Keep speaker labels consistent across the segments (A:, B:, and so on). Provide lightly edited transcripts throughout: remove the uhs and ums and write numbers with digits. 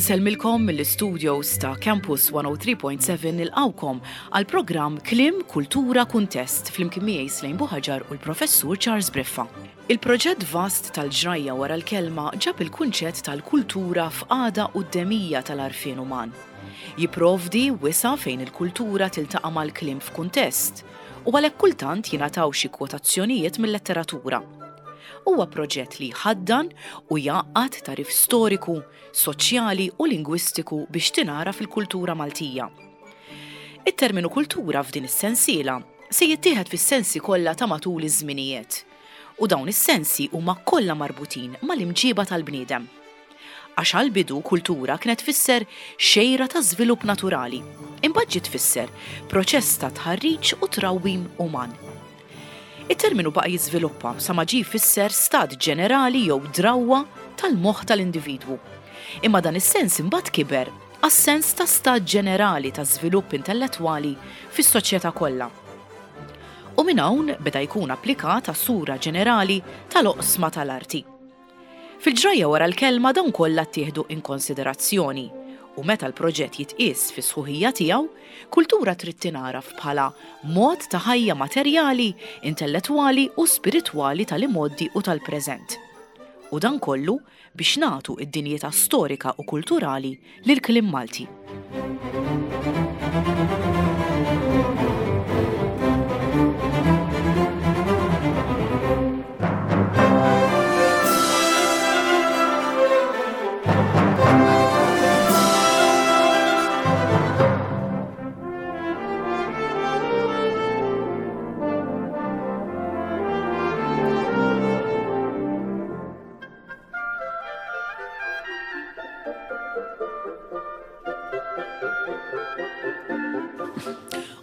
A: Insellmilkom mill-istudios ta' Campus 103.7 nilqgħukom għal programm Kliem, Kultura, Kuntest flimkien miegħi Slejn Buħaġar u l-Professur Charles Briffa. Il-proġett vast tal-ġrajja wara l-kelma ġab il-kunċett tal-kultura f'qagħda quddemija tal-għarfien uman. Jipprovdi wisa' fejn il-kultura tiltaqa' mal-kliem f'kuntest, u għalhekk kultant jingħataw xi kwotazzjonijiet mil-letteratura. Huwa proġett li jħaddan u jgħaqqad tagħrif storiku, soċjali u lingwistiku biex tingħaraf il-kultura Maltija. It-terminu kultura f'din is-sensiela se jittieħed fis-sensi kollha ta' matul iż-żminijiet u dawn is-sensi huma kollha marbutin mal-imġiba tal-bniedem. Għax għall-bidu kultura kienet tfisser xejra ta' żvilupp naturali, imbagħad ġiet tfisser proċess ta' tħarriġ u trawwim uman. It-terminu baqa' jiżviluppa sa ma ġie jfisser stat ġenerali jew drawwa tal-moħħ tal-individwu. Imma dan is-sens imbagħad kiber għas-sens ta' stat ġenerali ta' żvilupp intellettwali fis-soċjetà kollha. U minn hawn beda jkun applikat għas-sura ġenerali tal-oqsma tal-arti. Fil-ġrajja wara l-kelma dawn kollha ttieħdu in konsiderazzjoni u meta l-proġett jitqies fis-sħuħija tiegħu, kultura trid tingħaraf bħala mod ta' ħajja materjali, intellettwali u spiritwali tal-imgħoddi u tal-preżent. U dan kollu biex nagħtu d-dinjità storika u kulturali lill-kliem Malti.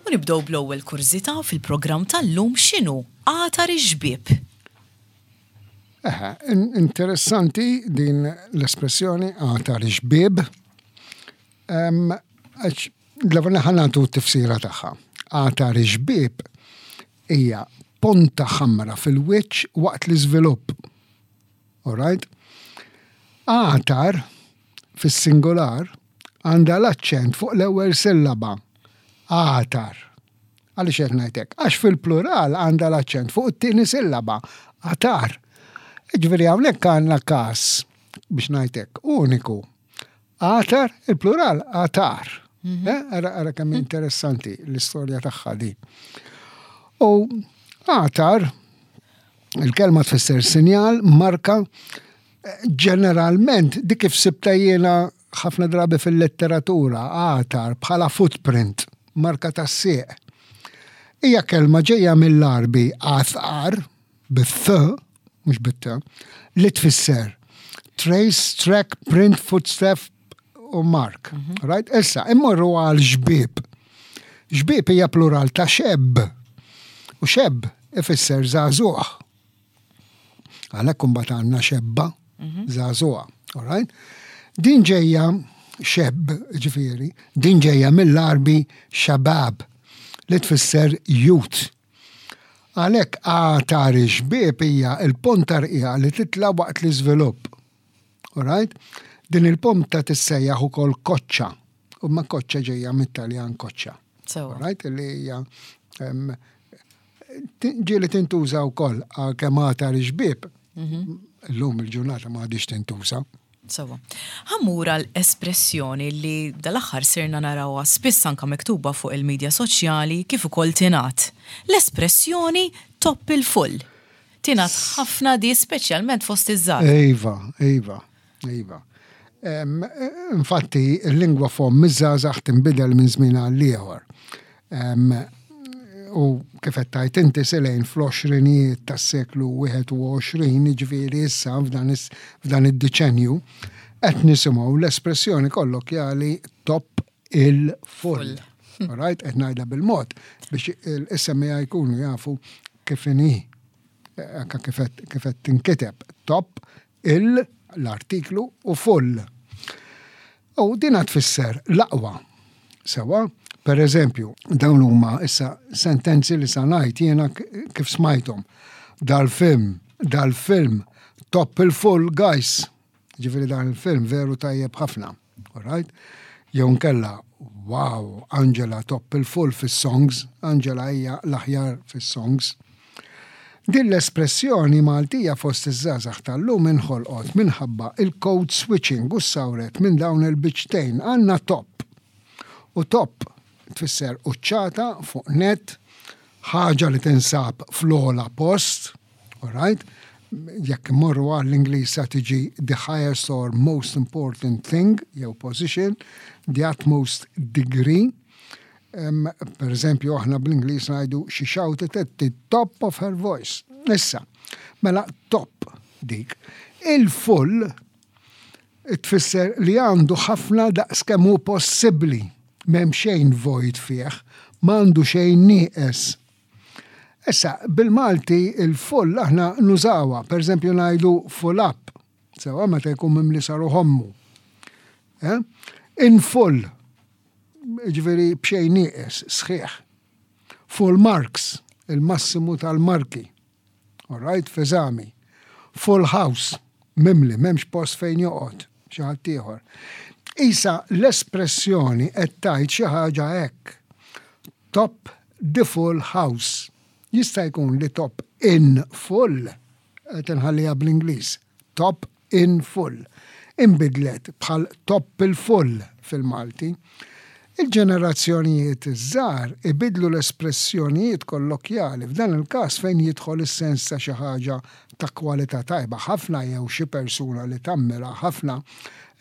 A: U nibdew bl-ewwel kurżità fil-programm tal-lum x'inhu għatar ix-xbieb?
B: Eħe, interessanti din l-espressjoni għatar ix-xbieb. Għax l-ewwel ħa nagħtu t-tifsira tagħha. Għatar ix-xbieb hija ponta ħamra fil-wiċċ waqt l-iżvilupp. Alright? Għatar fis-singular għandha l-aċċent fuq l-ewwel sillaba. Għatar. Għaliex qed ngħid hekk? Għax fil-plural għandha l-aċċent fuq it-tieni sillaba. Għatar. Ġifieri hawnhekk għandna każ biex ngħid hekk uniku. Għatar, il-plural għatar. Mhm. Eh, ara ara kemm interessanti l-istorja tagħha di. U għatar, il-kelma tfisser sinjal, marka, ġeneralment dik kif sibta jiena ħafna drabi fil-letteratura, għatar bħala footprint, marka tas-sieq. Hija kelma ġejja mill-Għarbi għathar, bit-th, mhux bit-t, li tfisser trace, track, print, footstep u mark. Mhm. Right? Issa, immorru għal xbieb. Xbieb hija plural ta' xebb. U xebb ifisser żagħżugħ. Għalhekk imbagħad għandna xebba, mhm. żagħżugħa. All right? Din ġejja xebb, ġifieri, din ġejja mill-Arbi xabab li tfisser youth. Għalhekk għatar ix-xbieb hija l-ponta rqiqa li titla' waqt l-iżvilupp. Alright? Din il-ponta tissejjaħ ukoll koċċa. U ma koċċa ġejja mit-Taljan koċċa. Alright? Li hija ġieli tintuża wkoll għalkemm għatar ix-xbieb. Mhm. Illum il-ġurnata ma għadix tintuża.
A: Sewa. Ħammur għal espressjoni li dal-aħħar sirna narawha spiss anka miktuba fuq il-midja soċjali kif ukoll tingħad. L-espressjoni top il-full. Tingħad ħafna di speċjalment fost iż-żgħar.
B: Iva, iva, iva. Infatti, il-lingwa fomm iż-żgħażagħ tinbidel minn żmien għal ieħor. U kif qed tgħid inti Selejn fl-għoxrinijiet tas-seklu 21, jiġifieri issa f'dan id-diċenju, qed nisimgħu l-espressjoni kollokjali top il-full. Right? Qed ngħidha bil-mod biex il-semmiegħa jkunu jafu kif inhi anke kif qed tinkiteb top il, l-artiklu, u full. U dina tfisser l-aqwa. Sewa, per eżempju, dawn huma issa sentenzi li sa ngħid jiena kif smajthom. Dal-film, dal-film, top il-full guys. Ġifieri dan il-film veru tajjeb ħafna. Alright? Jew nkella, wow, Angela top il-full fis-songs, Angela hija l-aħjar fis-songs. Din l-espressjoni Maltija fost iż-żgħażagħ tal-lum inħolqot minħabba il-code switching u ssawret minn dawn il-biċċtejn. Għandna top. U top tfisser quċċata fuq nett, ħaġa li tinsab fl-ogħla post, alright? Jekk immorru għall-Ingliż sa tiġi the highest or most important thing jew position, the utmost degree. Um, per eżempju, aħna bl-Ingliż ngħidu she shouted at the top of her voice. Issa, mela top dik. Il-full tfisser li għandu ħafna daqs kemm hu possibbli. M'hemm xejn vojt fih, m'għandu xejn nieqes. Issa, bil-Malti il-full aħna nużawha, pereżempju ngħidu full up, sewwa meta jkun mimli sa ruħ ommu. Eh? In full, ġifieri b'xejn nieqes, sħiħ. Full marks, il-massimu tal-marki. All right, f'eżami. Full house, mimli, m'hemmx post fejn joqgħod xi ħadd ieħor. Isa l-espressjoni qed tgħid xi ħaġa hekk. Top the full house. Jista' jkun li top in full, qed inħalliha bl-Ingliż, top in full, inbidlet bħal top il-full fil-Malti. Il-ġenerazzjonijiet iż-żgħar ibiddlu l-espressjonijiet kollokjali, f'dan il-każ fejn jidħol is-sens ta' xi ħaġa ta' kwalità tajba ħafna jew xi persuna li tammira ħafna,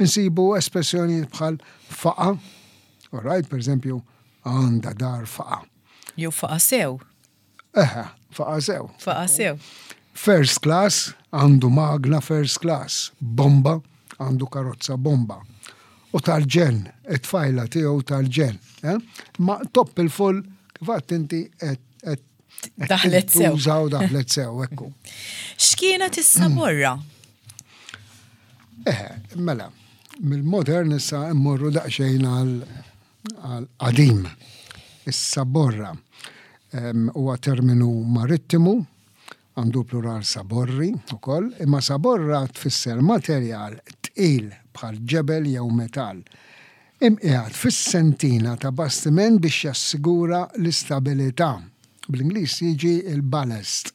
B: insibu espressjonijiet bħal faqa', all right, pereżempju, għandha dar faqa'.
A: Jew faqa' sew.
B: Eħe, faqa' sew.
A: Faqa' sew.
B: First class, għandu magna first class, bomba, għandu karozza bomba. U tal-ġenn, it-tfajla tiegħu tal-ġenn. Eh? Ma top il-full, kif għadt inti qed
A: Daħlet sew.
B: Użaw daħlet sew, ekku.
A: X'kienet is-saborra?
B: Eh, mela, mill-modern issa immorru daqsxejn għal għal-qadim. Is-saborra huwa terminu marittimu, għandu plural saborri ukoll, imma saborra tfisser materjal tqil bħal ġebel jew metall, imqiegħed fis-sentina ta' bastiment biex jassigura l-istabilità. Bl-Ingliż jiġi l-ballast.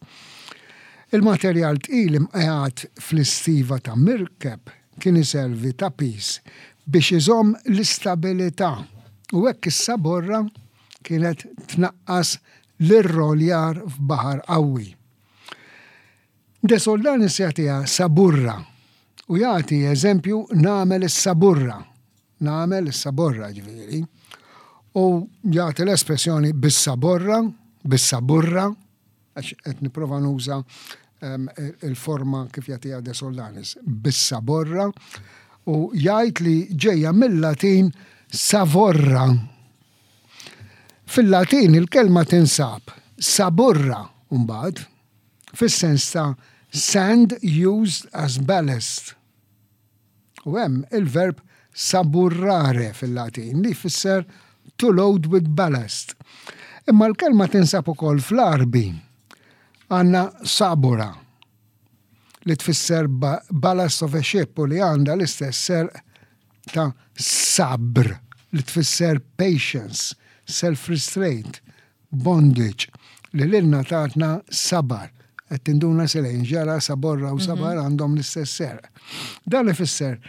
B: Il-materjal tqil imqiegħed fl-istiva ta' mirkeb kien iservi ta' piż biex iżomm l-istabilità u hekk is-saborra kienet tnaqqas l-irroljar f'baħar qawwi. De Soldanis jagħtiha saburra u jagħti eżempju nagħmel is-saburra, nagħmel is-saborra ġifieri, u jagħti l-espressjoni bis-saborra, bis-saburra, għax qed nipprova nuża ehm, il-forma kif jagħtiha De Soldanis, bis-saborra, u jgħid li ġejja mill-Latin savorra. Fil-Latin il-kelma tinsab saburra mbagħad fis-sens ta' sand used as ballast. U hemm il-verb saburrare fil-Latin li jfisser to load with ballast. Imma l-kelma tinsab ukoll fl-Għarbi. Għandna sabura li tfisser ballast of a ship u li għandha l-istess serq ta' sabr li tfisser patience, self-restraint, bondage, li lilna tatna sabar. Qed tinduna Selene, ġara saborra u sabar mhm. għandhom l-istess serq. Dan ifisser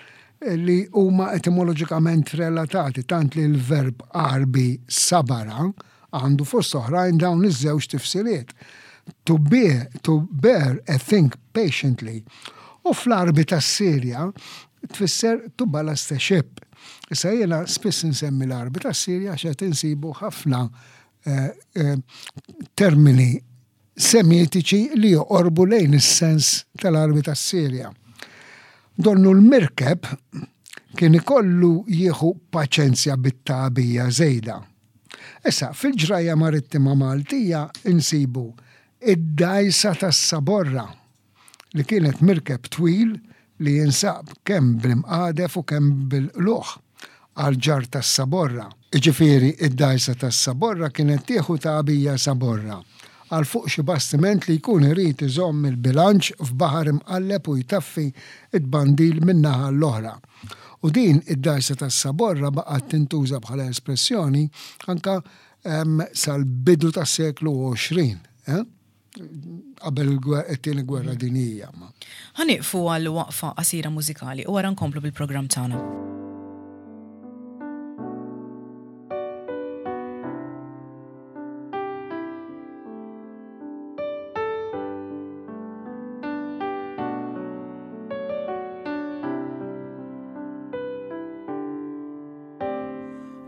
B: li huma etimoloġikament relatati tant li l-verb Għarbi sabara għandu fost oħrajn dawn iż-żewġ tifsiriet. To bear, to bear a thing patiently. U fl-Għarbi tas-Sirja tfisser to ballast a ship. Issa jiena spiss insemmi l-Għarbi tas-Sirja għax qed insibu ħafna eh, eh, termini semitiċi li joqorbu lejn is-sens tal-Għarbi tas-Sirja. Donnu l-mirkeb kien ikollu jieħu paċenzja bit-tagħbija żejda. Issa, fil-ġrajja marittima Maltija insibu id-dgħajsa tas-Saborra li kienet mirkeb twil li jinsab kemm bl-imqadef u kemm bil-qlugħ għall-ġarr tas-saborra. Jiġifieri d-dgħajsa tas-saborra kienet tieħu tagħbija saborra. għal fuq xi bastiment li jkun irid iżomm il-bilanċ f'baħar imqalleb u jtaffi t-tbandil minn naħa għall-oħra. U din id-dgħajsa tas-saborra baqgħet tintuża bħala espressjoni anke sal-bidu tas-seklu 20, qabel it-Tieni Gwerra Dinjija.
A: Ħa nieqfu għal waqfa qasira mużikali u wara nkomplu bil-programm tagħna.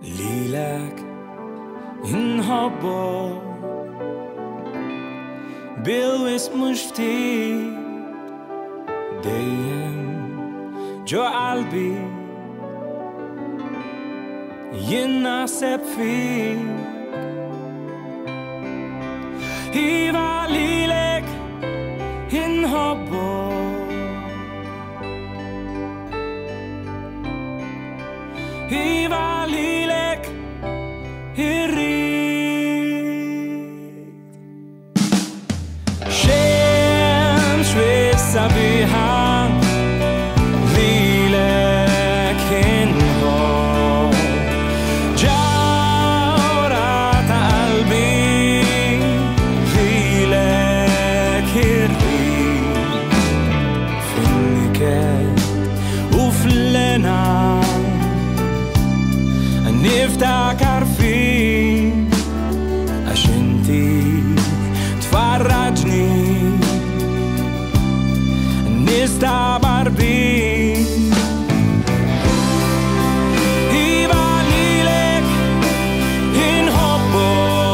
C: Lilek inħobbok bil-wisq mhux ftit dejjem ġo qalbi Jien naħseb fik. Iva lilek inħobbok. Iva lilek irrid. Xemx sabiħa lilek inħobb Ġawra ta' qalbi lilek irrid Fin-niket u fl-hena Niftakar fik Għax inti tfarraġni Nistabar bik Iva lilek inħobbok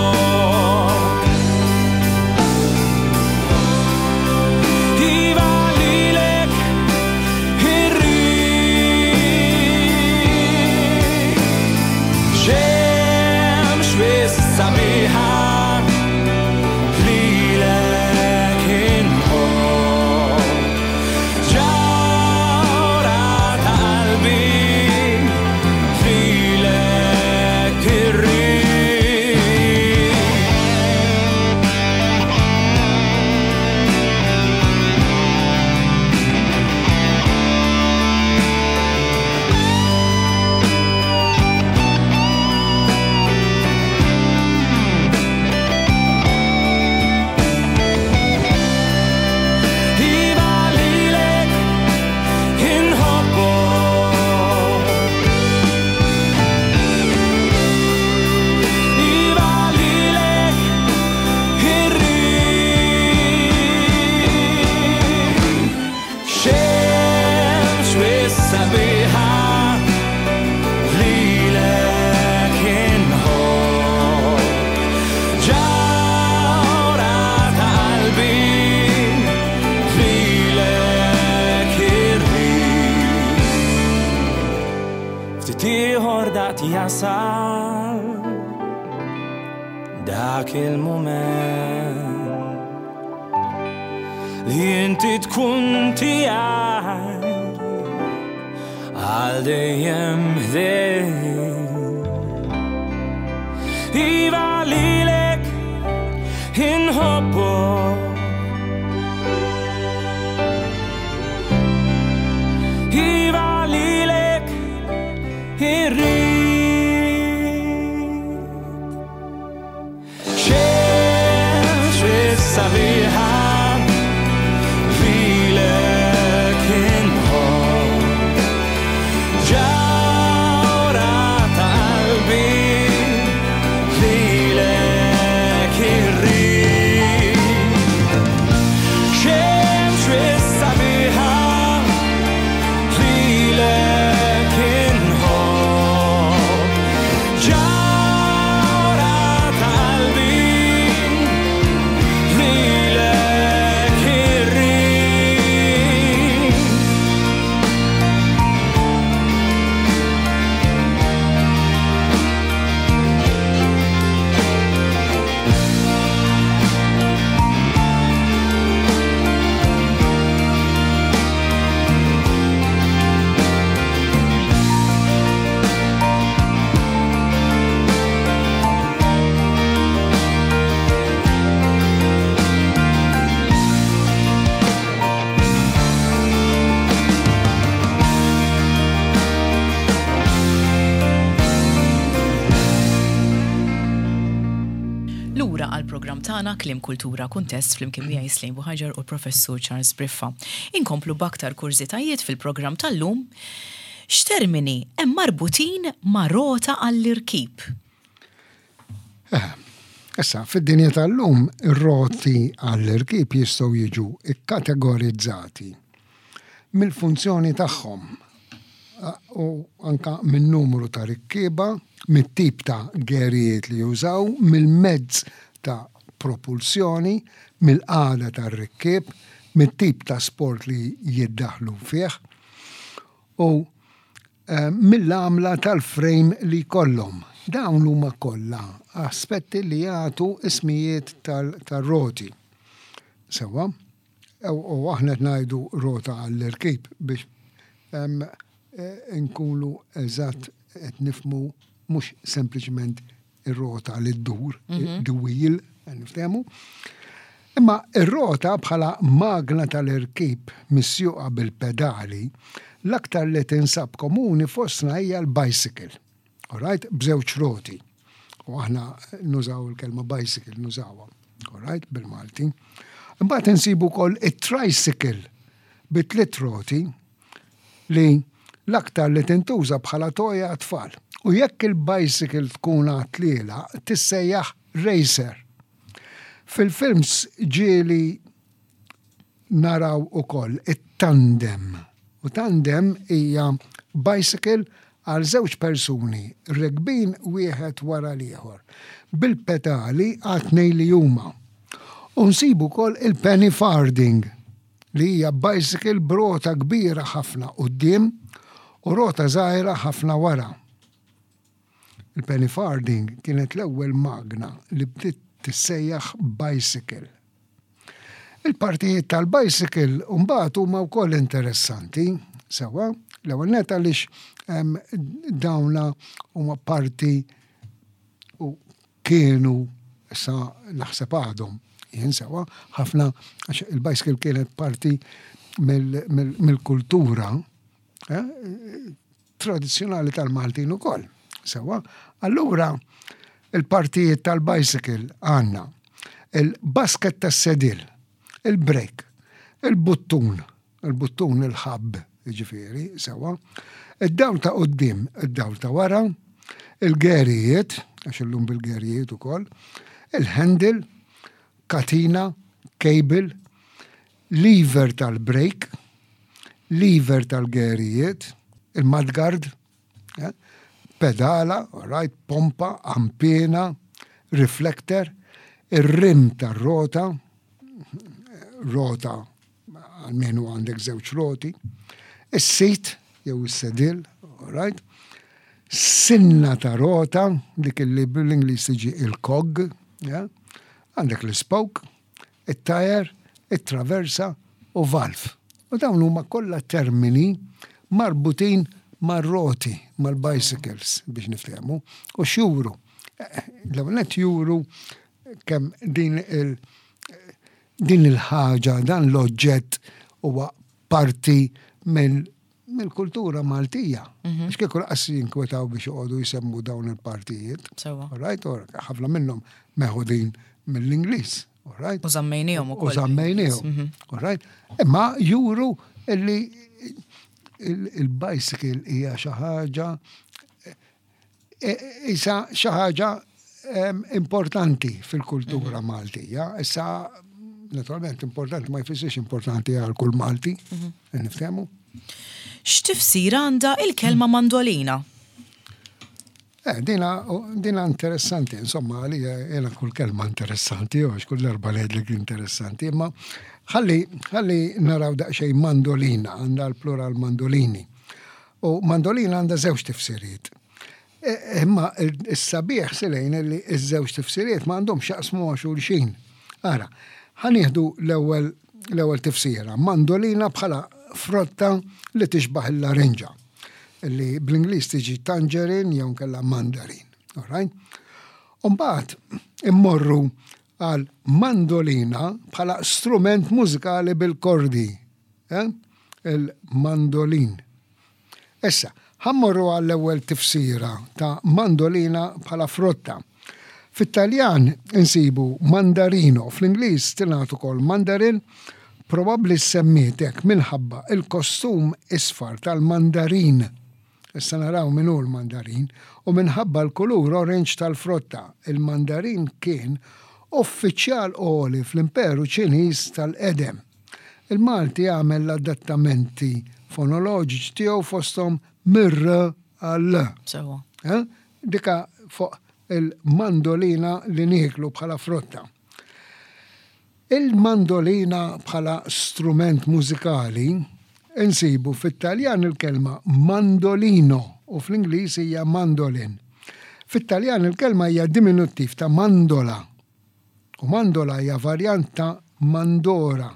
C: Iva lilek irrid Xemx wis sabiħa lilek inħobb Ġawra ta' qalbi lilek irrid. Iva lilek inħobbok Iva lilek irrid Xemx wis sabiħa lilek inħobb Ġawra ta' qalbi lilek irrid Ftit ieħor daqt jasal dak il-mument li inti tkun tiegħi għal dejjem ħdej. Iva lilek inħobbok Iva lilek irrid Xemx sabiħa lilek inħobb Ġawra ta' qalbi lilek irrid.
A: tagħna Kliem Kultura Kuntest flimkien miegħi Slejn Buħaġar u l-Professur Charles Briffa. Inkomplu b'aktar kurżitajiet fil-programm tal-lum. X'termini hemm marbutin ma' rota għall-irkib?
B: Eh, issa, fid-dinja tal-lum, ir-roti għall-irkib jistgħu jiġu kkategorizzati mill-funzjoni tagħhom u anka min-numru ta' rikkieba, mit-tip ta' gerijiet li jużaw, mill-mezz ta' propulsjoni, mill-qagħda tar-rikkieb, mit-tip ta' sport li jiddaħħlu fih u mill-għamla tal-frame li jkollhom. Dawn huma kollha aspetti li jagħtu ismijiet tar-roti. Sewwa? U aħna qed ngħidu rota għall-irkib biex inkunu eżatt qed nifhmu mhux sempliċement ir-rota li ddur, the wheel, niftehmu. Imma ir-rota bħala magna tal-irkib misjuqa bil-pedali, l-aktar li tinsab komuni fostna hija l-bicycle. Alright? B'żewġ roti. U aħna nużaw il-kelma bicycle, nużawha. Alright? Bil-Malti. Imbagħad insibu wkoll it-tricycle bi tliet roti li l-aktar li tintuża bħala toja għat-tfal. U jekk il-bicycle tkun għat-tliela, tissejjaħ racer. Fil-films ġieli naraw ukoll it-tandem. U tandem hija bicycle għal żewġ persuni rekbin wieħed wara l-ieħor, bil-pedali għat-tnejn li huma. U nsibu wkoll il-penny farthing, li hija bicycle b'rota kbira ħafna quddiem u rota żgħira ħafna wara. Il-penny farthing kienet l-ewwel magna li bdiet tissejjaħ bicycle. Il-partijiet tal-bicycle mbagħad huma wkoll interessanti, sewwa, l-ewwel nett għaliex dawna huma parti u kienu issa naħseb għadhom jien sewwa ħafna għax il-bicycle kienet parti mill-kultura eh, tradizzjonali tal-Maltin ukoll. Sewwa, allura il-partijiet tal-bicycle għandna il-basket tas-sedil, il-brek, il-buttun, il-buttun il-ħabb, ġifieri, sewwa, id-dawl ta' quddiem, id-dawl ta' wara, il-gerijiet, għax illum bil-gerijiet ukoll, il-handle, katina, cable, lever tal-brake, lever tal-gerijiet, il-mudguard, eh, pedala, right, pompa, ampina, reflector, ir-rim tar-rota, rota għalmenu għandek żewġ roti, is-sit jew is-sedil, right, sinna ta' rota, dik li bl-Ingliż tiġi il-cog, għandek l-spoke, it-tajer, it-traversa u valv. U dawn huma kollha termini marbutin mar-roti, mal-bicycles biex niftehmu, u x'juru. L-ewwel nett juru kemm din il din il-ħaġa, dan l-oġġett huwa parti minn mill-kultura Maltija. Mhm. Għax kieku laqas jinkwetaw biex joqogħdu jsemmu dawn il-partijiet.
A: Sewwa.
B: Right, ħafna minnhom meħudin mill-Ingliż.
A: Right? U żammejniehom
B: ukoll. U żammejniehom. Mhm. Right? Imma juru illi il-bicycle hija xi ħaġa e, isa xi ħaġa importanti fil-kultura mhm. Maltija. Issa naturalment importanti ma jfissirx importanti għal kull Malti, mhm. niftehmu.
A: X'tifsir għandha il-kelma mandolina?
B: Eh, dina, dina interessanti, insomma, għalija jena kull kelma interessanti, għax kull darba li għedlek interessanti, imma ħalli, ħalli naraw daqxej mandolina, għanda l-plural mandolini. U mandolina għandha żewġ tifsiriet. E, imma s-sabiħ silejn li ż-żewġ tifsiriet ma għandhomx jaqsmu ma' xulxin. Ara, ħanieħdu l-ewwel l-ewwel tifsira, mandolina bħala frotta li tixbaħ il-larinġa, li bl-Ingliż tiġi tangerine jew kella mandarin. Alright? Umbagħad immorru għal mandolina bħala strument mużikali bil-kordi. Eh? Il-mandolin. Issa, ħa mmorru għall-ewwel tifsira ta' mandolina bħala frotta. Fit-Taljan insibu mandarino, fl-Ingliż tingħad ukoll mandarin, probabbli ssemmiet hekk minħabba l-kostum isfar tal-mandarin, issa naraw min hu l-mandarin, u minħabba l-kulur orange tal-frotta. Il-mandarin kien uffiċjal għoli fl-Imperu Ċiniż tal-qedem. Il-Malti għamel l-adattamenti fonoloġiċi tiegħu fosthom mir-r għal-l.
A: Sewwa.
B: Eh? Dika fuq il-mandolina li nieklu bħala frotta. Il-mandolina bħala strument mużikali insibu fit-Taljan il-kelma mandolino u fl-Ingliż hija mandolin. Fit-Taljan il-kelma hija diminuttiv ta' mandola U mandola hija varjant ta' mandora,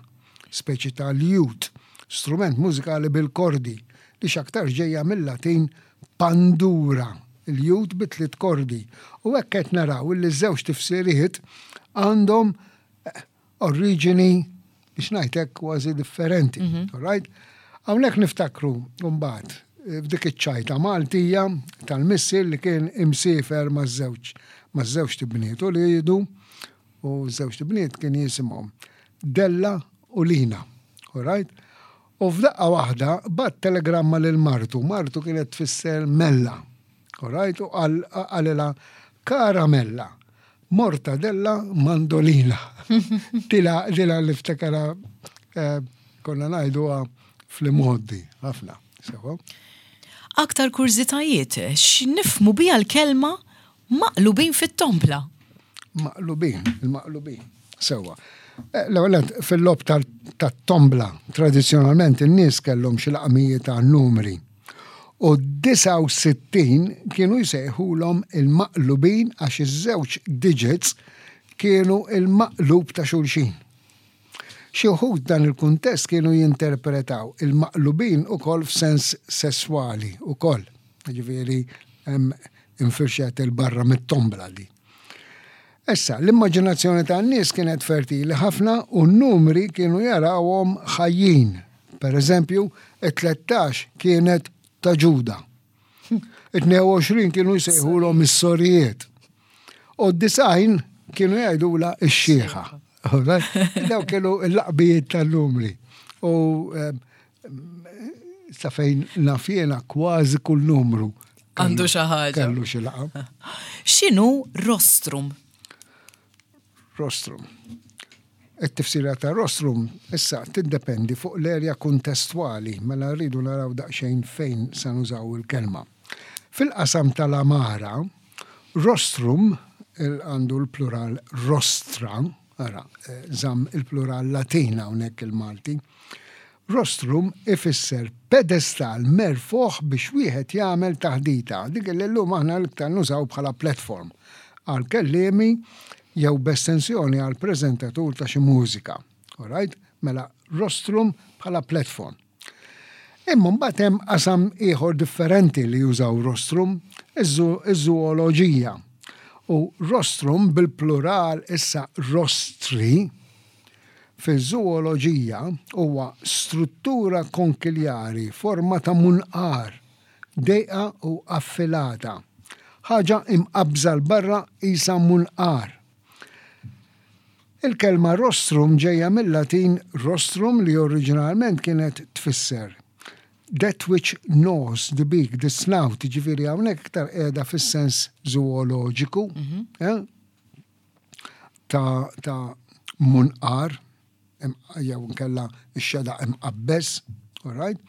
B: speċi ta' lute, strument mużikali bil-kordi, li x'aktarx ġejja mil-Latin pandura, lute bi tliet kordi. U hekk qed naraw illi ż-żewġ tifsiriet għandhom oriġini, biex ngħid hekk, kważi differenti. All right? Hawnhekk niftakru mbagħad f'dik iċ-ċajta Maltija tal-missier li kien imsiefer maż-żewġ maż-żewġt ibniet u liedu u ż-żewġt ibniet kien jisimhom Della u Lina. All right? U f'daqqa waħda bagħat telegramma lil martu, martu kienet tfisser Mella. All right? U qalilha Kara Mella, Mortadella mandolina. Dila, dila li ftakara eh, konna ngħiduha fl-imgħoddi ħafna. Sewa.
A: Aktar kurżitajiet, x'nifhmu biha l-kelma maqlubin fit-tombla?
B: Maqlubin, il-maqlubin. Sewa. Eh, l-ewwel fil-lob tat-tombla, tradizzjonalment in-nies kellhom xi laqmijiet ta' numri. U 69 kienu jsejħulhom il-maqlubin għax iż-żewġ digits kienu il-maqlub ta' xulxin. Xi wħud f'dan il-kuntest kienu jinterpretaw il-maqlubin ukoll f'sens sesswali ukoll, jiġifieri hemm infirxet 'il barra mit-tombla di. Issa, l-immaġinazzjoni tan-nies kienet fertili ħafna u n-numri kienu jarawhom ħajjin. Per eżempju, it-tlettax kienet ta' Ġuda. It-22 kienu jsejħulhom is-sorijiet. U d-disgħin kienu jgħidulha x-xieħa. Daw kienu l-laqbijiet tal-numri. U ehm, sa fejn naf jiena kważi kull numru.
A: Għandu xi ħaġa.
B: Kellu xi laqam.
A: X'inhu rostrum?
B: Rostrum. It-tifsira ta' rostrum issa tiddependi fuq l-erja kuntestwali, mela rridu naraw daqsxejn fejn sa nużaw il-kelma. Fil-qasam tal-għamara, rostrum għandu l-plural rostra, ara, żamm il-plural Latin hawnhekk il-Malti. Rostrum ifisser pedestal merfugħ biex wieħed jagħmel taħdita, dik li llum aħna l-iktar nużaw bħala platform għal kelliemi jew b'estensjoni għal preżentatur ta' xi mużika. Alright? Mela rostrum bħala platform. Imma mbagħad hemm qasam ieħor differenti li jużaw rostrum, iż-żooloġija. U rostrum bil-plural issa rostri, Fiż-żooloġija huwa struttura konkiljari forma ta' munqar, dejqa u affilata. Ħaġa imqabbża 'l barra qisha munqar. Il-kelma rostrum ġejja mil-Latin rostrum li oriġinalment kienet tfisser that which gnaws the beak, the snout, jiġifieri hawnhekk iktar qiegħda fis-sens żooloġiku. Eh? ta' ta' munqar jew inkella x-xedaq imqabbeż, all right?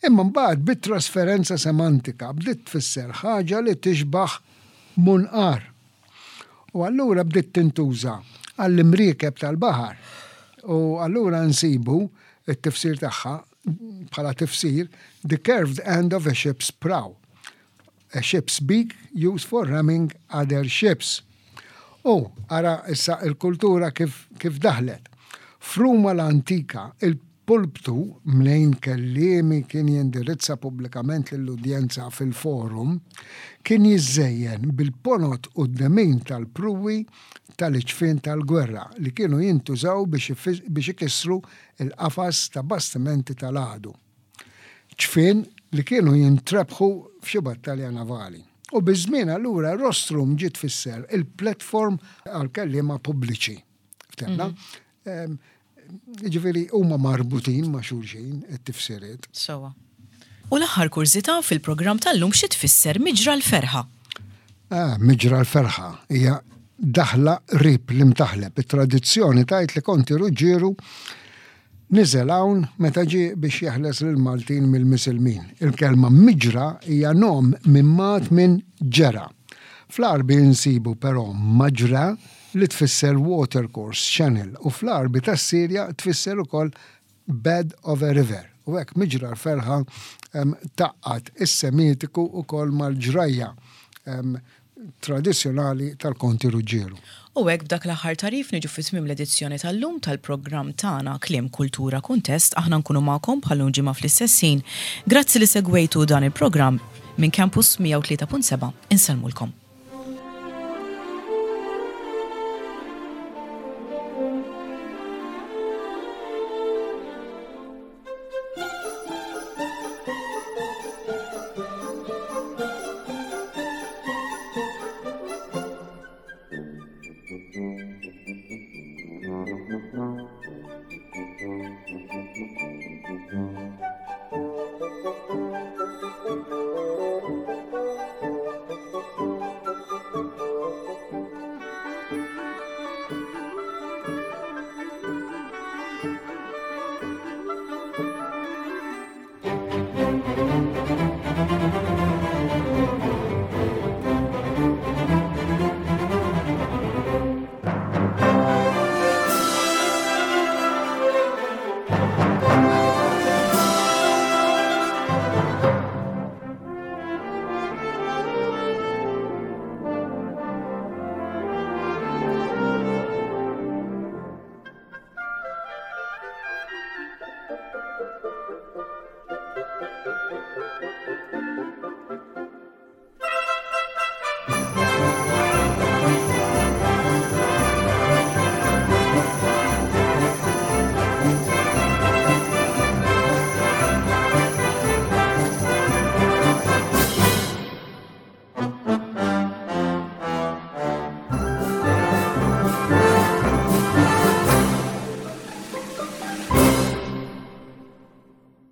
B: Imma mbagħad bit-trasferenza semantika bdiet tfisser ħaġa li tixbaħ munqar. U allura bdiet tintuża għall-imriekeb tal-baħar. U allura nsibu t-tifsir tagħha bħala tifsir the curved end of a ship's prow. A ship's beak used for ramming other ships. U, ara issa il-kultura kif, kif daħlet. F'Ruma l-antika, il-pulptu, mnejn kelliemi kien jindirizza pubblikament lill-udjenza fil-forum, kien jiżżejjen bil-ponot u d-demin tal-pruwi tal-iġfien tal-gwerra li kienu jintużaw biex, biex ikissru l-qafas ta' bastimenti tal-għadu. Ġfien li kienu jintrebħu f'xi battalja navali. U biż-żmien allura rostrum ġiet tfisser il-platform għal kelliema pubbliċi. Ftemna? Mhm. Ġifieri huma marbutin ma' xulxin it-tifsiriet.
A: Sewa. U l-aħħar kurżità fil-programm tal-lum xi tfisser miġra l-ferħa?
B: Ah, miġra l-ferħa hija daħla qrib l-imtaħleb. It-tradizzjoni tgħid li Konti Ruġġieru niżel hawn meta ġie biex jeħles lill-Maltin mill-Misilmin. Il-kelma miġra hija nom mimmat minn ġera. Fl-Għarbi nsibu però maġra li tfisser watercourse, channel, u fl-Għarbi tas-Sirja tfisser ukoll bed of a river. U hekk miġra l-ferħa tgħaqqad is-Semitiku wkoll mal-ġrajja tradizzjonali tal-Konti Ruġġieru.
A: U hekk b'dak l-aħħar tagħrif niġu fi tmiem l-edizzjoni tal-lum tal-programm tagħna Kliem Kultura Kuntest. Aħna nkunu magħkom bħal-lum ġimgħa fl-istess ħin. Grazzi li segwejtu dan il-programm minn Campus 103.7. Insellmulkom.